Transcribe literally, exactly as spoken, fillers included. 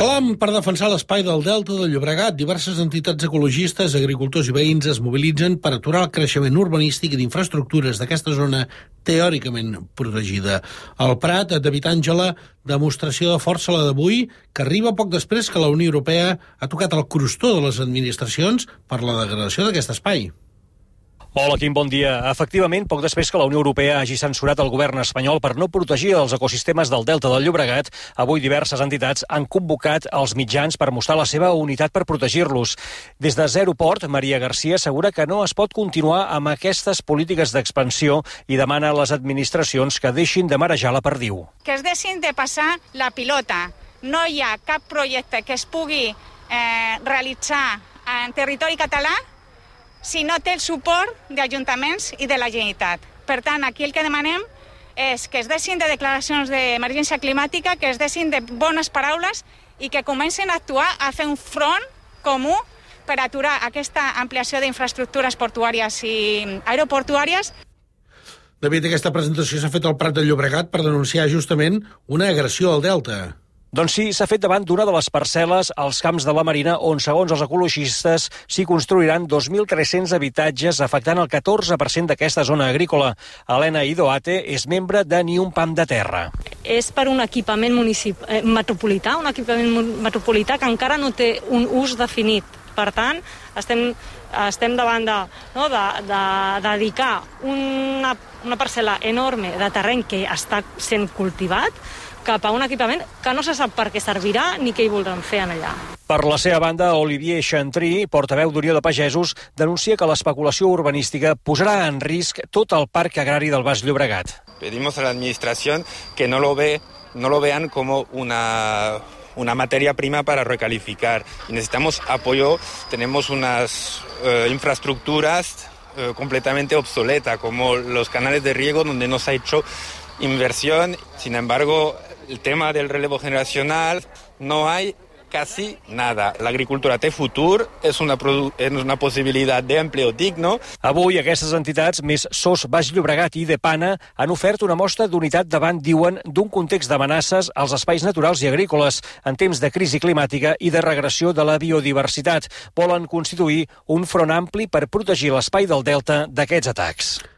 Clam per defensar l'espai del Delta del Llobregat. Diverses entitats ecologistes, agricultors i veïns es mobilitzen per aturar el creixement urbanístic i d'infraestructures d'aquesta zona teòricament protegida. Al Prat, David Àngela, demostració de força la d'avui, que arriba poc després que la Unió Europea ha tocat el crostó de les administracions per la degradació d'aquest espai. Hola, Quim, bon dia. Efectivament, poc després que la Unió Europea hagi censurat el govern espanyol per no protegir els ecosistemes del Delta del Llobregat, avui diverses entitats han convocat els mitjans per mostrar la seva unitat per protegir-los. Des de Zero Port, Maria Garcia assegura que no es pot continuar amb aquestes polítiques d'expansió i demana a les administracions que deixin de marejar la perdiu. Que es deixin de passar la pilota. No hi ha cap projecte que es pugui eh, realitzar en territori català si no té el suport d'ajuntaments i de la Generalitat. Per tant, aquí el que demanem és que es deixin de declaracions d'emergència climàtica, que es deixin de bones paraules i que comencin a actuar, a fer un front comú per aturar aquesta ampliació d'infraestructures portuàries i aeroportuàries. David, aquesta presentació s'ha fet al Prat del Llobregat per denunciar justament una agressió al Delta. Doncs sí, s'ha fet davant d'una de les parcel·les als camps de la Marina on, segons els ecologistes, s'hi construiran dos mil tres-cents habitatges afectant el catorze per cent d'aquesta zona agrícola. Helena Idoate és membre de Ni un pam de terra. És per un equipament municip... eh, metropolità, un equipament metropolità que encara no té un ús definit. Per tant, estem, estem davant de, no, de, de dedicar una, una parcel·la enorme de terreny que està sent cultivat cap a un equipament que no se sap per què servirà ni què hi voldran fer en allà. Per la seva banda, Olivier Chantry, portaveu d'Unió de Pagesos, denuncia que l'especulació urbanística posarà en risc tot el parc agrari del Baix Llobregat. Pedimos a la administración que no lo ve, no lo vean como una una materia prima para recalificar. Y necesitamos apoyo, tenemos unas eh, infraestructuras eh, completamente obsoletas, como los canales de riego donde no se ha hecho inversión. Sin embargo, el tema del relevo generacional, no hay casi nada. L'agricultura té futur, és una, és una possibilitat d'empleo digno. Avui aquestes entitats, més S O S Baix Llobregat i Depana, han ofert una mostra d'unitat davant, diuen, d'un context d'amenaces als espais naturals i agrícoles en temps de crisi climàtica i de regressió de la biodiversitat. Volen constituir un front ampli per protegir l'espai del Delta d'aquests atacs.